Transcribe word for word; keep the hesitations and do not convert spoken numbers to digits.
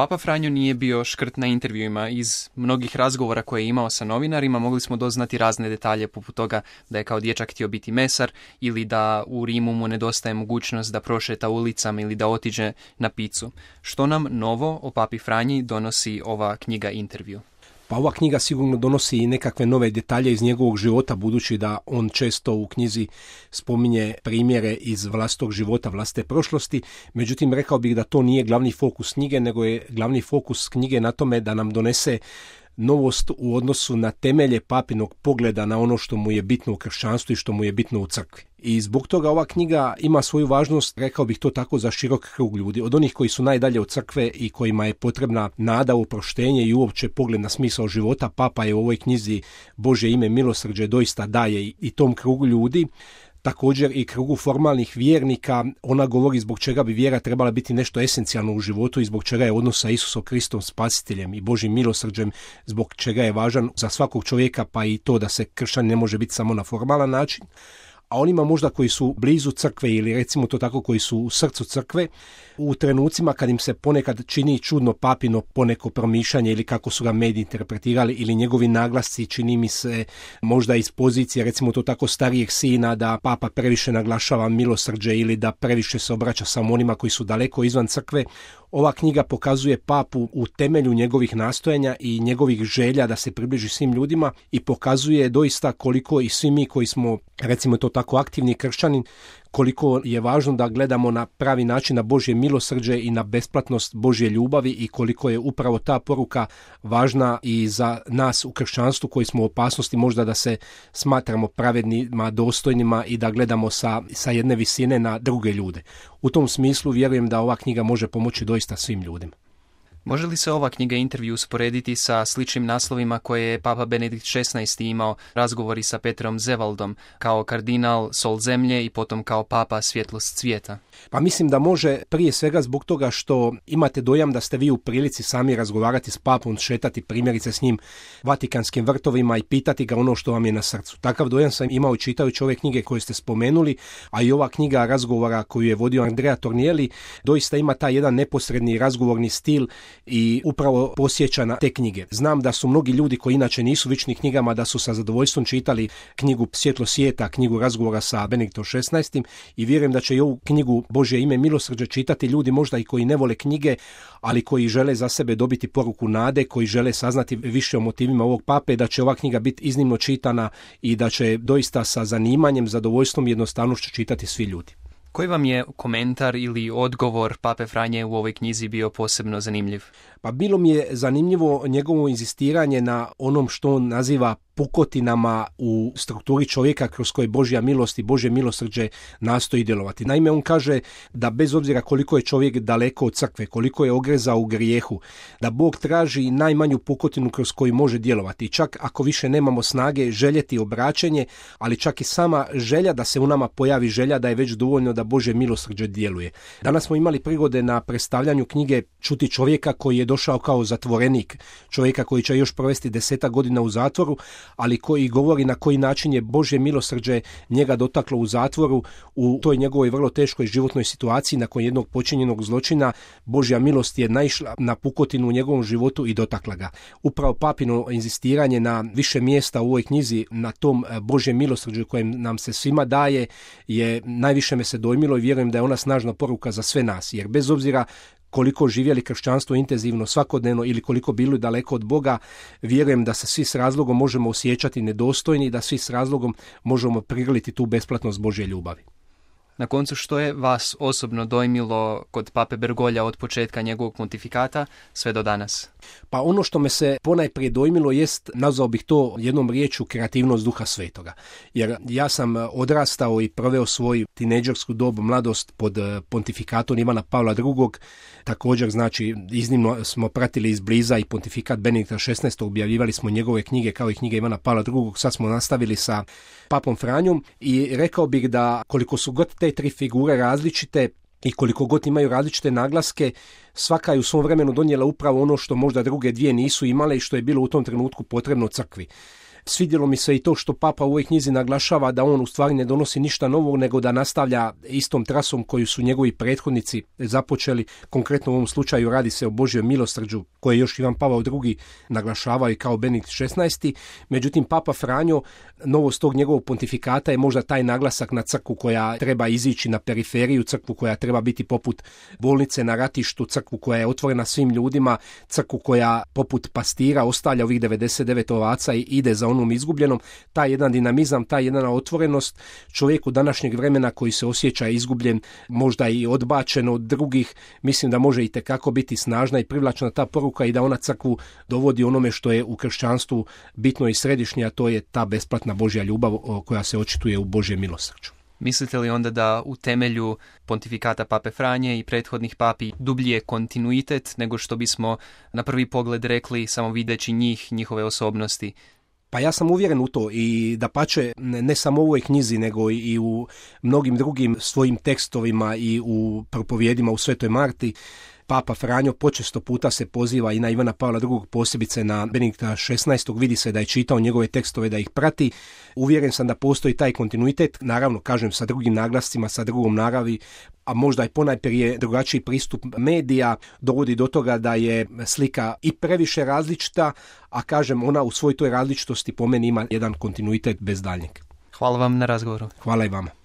Papa Franjo nije bio škrt na intervjuima. Iz mnogih razgovora koje je imao sa novinarima mogli smo doznati razne detalje, poput toga da je kao dječak htio biti mesar ili da u Rimu mu nedostaje mogućnost da prošeta ulicama ili da otiđe na picu. Što nam novo o Papi Franji donosi ova knjiga intervju? Pa ova knjiga sigurno donosi i nekakve nove detalje iz njegovog života, budući da on često u knjizi spominje primjere iz vlastitog života, vlastite prošlosti. Međutim, rekao bih da to nije glavni fokus knjige, nego je glavni fokus knjige na tome da nam donese novost u odnosu na temelje papinog pogleda na ono što mu je bitno u kršćanstvu i što mu je bitno u crkvi. I zbog toga ova knjiga ima svoju važnost, rekao bih to tako, za širok krug ljudi. Od onih koji su najdalje od crkve i kojima je potrebna nada u oproštenje i uopće pogled na smisao života, Papa je u ovoj knjizi Božje ime milosrđe doista daje i tom krugu ljudi. Također i krugu formalnih vjernika, ona govori zbog čega bi vjera trebala biti nešto esencijalno u životu i zbog čega je odnos sa Isusom Kristom spasiteljem i Božjim milosrđem, zbog čega je važan za svakog čovjeka, pa i to da se kršćan ne može biti samo na formalan način. A onima možda koji su blizu crkve ili recimo to tako koji su u srcu crkve, u trenucima kad im se ponekad čini čudno papino poneko promišljanje ili kako su ga mediji interpretirali ili njegovi naglasci, čini mi se možda iz pozicije recimo to tako starijeg sina da Papa previše naglašava milosrđe ili da previše se obraća samo onima koji su daleko izvan crkve. Ova knjiga pokazuje Papu u temelju njegovih nastojanja i njegovih želja da se približi svim ljudima i pokazuje doista koliko i svi mi koji smo, recimo to tako, aktivni kršćani, koliko je važno da gledamo na pravi način na Božje milosrđe i na besplatnost Božje ljubavi i koliko je upravo ta poruka važna i za nas u kršćanstvu koji smo u opasnosti možda da se smatramo pravednima, dostojnima i da gledamo sa, sa jedne visine na druge ljude. U tom smislu vjerujem da ova knjiga može pomoći doista svim ljudima. Može li se ova knjiga intervju usporediti sa sličnim naslovima koje je Papa Benedikt šesnaesti imao, razgovori sa Petrom Zevaldom, kao kardinal sol zemlje i potom kao papa svjetlost svijeta? Pa mislim da može prije svega zbog toga što imate dojam da ste vi u prilici sami razgovarati s papom, šetati primjerice s njim Vatikanskim vrtovima i pitati ga ono što vam je na srcu. Takav dojam sam imao čitajući ove knjige koje ste spomenuli, a i ova knjiga razgovora koju je vodio Andrea Tornielli doista ima taj jedan neposredni razgovorni stil i upravo posjeća na te knjige. Znam da su mnogi ljudi koji inače nisu vični knjigama da su sa zadovoljstvom čitali knjigu Svjetlo svijeta, knjigu razgovora sa Benediktom šesnaestim i vjerujem da će i ovu knjigu Božje ime milosrđe čitati ljudi možda i koji ne vole knjige, ali koji žele za sebe dobiti poruku nade, koji žele saznati više o motivima ovog pape, da će ova knjiga biti iznimno čitana i da će doista sa zanimanjem, zadovoljstvom i jednostavnošću čitati svi ljudi. Koji vam je komentar ili odgovor Pape Franje u ovoj knjizi bio posebno zanimljiv? Pa bilo mi je zanimljivo njegovo inzistiranje na onom što on naziva pukotinama u strukturi čovjeka kroz koje Božja milost i Božje milosrđe nastoji djelovati. Naime, on kaže da bez obzira koliko je čovjek daleko od crkve, koliko je ogrezao u grijehu, da Bog traži najmanju pukotinu kroz koju može djelovati. Čak ako više nemamo snage željeti obraćenje, ali čak i sama želja da se u nama pojavi želja da je već dovoljno da Božje milosrđe djeluje. Danas smo imali prigode na predstavljanju knjige čuti čovjeka koji je došao kao zatvorenik, čovjeka koji će još provesti desetak godina u zatvoru, ali koji govori na koji način je Božje milosrđe njega dotaklo u zatvoru, u toj njegovoj vrlo teškoj životnoj situaciji nakon jednog počinjenog zločina. Božja milost je naišla na pukotinu u njegovom životu i dotakla ga. Upravo papino inzistiranje na više mjesta u ovoj knjizi, na tom Božjem milosrđu kojem nam se svima daje, je najviše me se dojmilo i vjerujem da je ona snažna poruka za sve nas, jer bez obzira koliko živjeli kršćanstvo intenzivno svakodnevno ili koliko bili daleko od Boga, vjerujem da se svi s razlogom možemo osjećati nedostojni i da svi s razlogom možemo prigrliti tu besplatnost Božje ljubavi. Na koncu, što je vas osobno dojmilo kod Pape Bergoglia od početka njegovog pontifikata sve do danas? Pa ono što me se ponajprije dojmilo jest, nazvao bih to jednom riječju, kreativnost Duha Svetoga. Jer ja sam odrastao i proveo svoj tinejdžersku dobu, mladost pod pontifikatom Ivana Pavla drugog. Također, znači, iznimno smo pratili izbliza i pontifikat Benedikta šesnaestog, objavljivali smo njegove knjige kao i knjige Ivana Pavla drugog. Sad smo nastavili sa Papom Franjom i rekao bih da koliko su god te tri figure različite i koliko god imaju različite naglaske, svaka je u svom vremenu donijela upravo ono što možda druge dvije nisu imale i što je bilo u tom trenutku potrebno crkvi. Svidjelo mi se i to što Papa u ovoj knjizi naglašava da on u stvari ne donosi ništa novog, nego da nastavlja istom trasom koju su njegovi prethodnici započeli. Konkretno u ovom slučaju radi se o Božjoj milosrđu koje još Ivan Pavao drugi naglašavao i kao Benedikt šesnaesti. Međutim, Papa Franjo, novost tog njegovog pontifikata je možda taj naglasak na crkvu koja treba izići na periferiju, crkvu koja treba biti poput bolnice na ratištu, crkvu koja je otvorena svim ljudima, crkvu koja poput pastira ostavlja ovih devedeset devet ovaca i ide za onom izgubljenom. Taj jedan dinamizam, ta jedna otvorenost čovjeku današnjeg vremena koji se osjeća izgubljen, možda i odbačen od drugih, mislim da može itekako biti snažna i privlačna ta poruka i da ona crkvu dovodi onome što je u kršćanstvu bitno i središnje, a to je ta besplatna Božja ljubav koja se očituje u Božjem milosrđu. Mislite li onda da u temelju pontifikata Pape Franje i prethodnih papi dublji je kontinuitet nego što bismo na prvi pogled rekli samo videći njih, njihove osobnosti? Pa ja sam uvjeren u to i da pače ne samo u ovoj knjizi nego i u mnogim drugim svojim tekstovima i u propovjedima u Svetoj Marti. Papa Franjo počesto puta se poziva i na Ivana Pavla drugog, posebice na Benedikta šesnaestog. Vidi se da je čitao njegove tekstove, da ih prati. Uvjeren sam da postoji taj kontinuitet, naravno, kažem, sa drugim naglascima, sa drugom naravi, a možda i ponajprije drugačiji pristup medija dovodi do toga da je slika i previše različita, a kažem, ona u svoj toj različitosti po meni ima jedan kontinuitet bez daljnjeg. Hvala vam na razgovoru. Hvala i vama.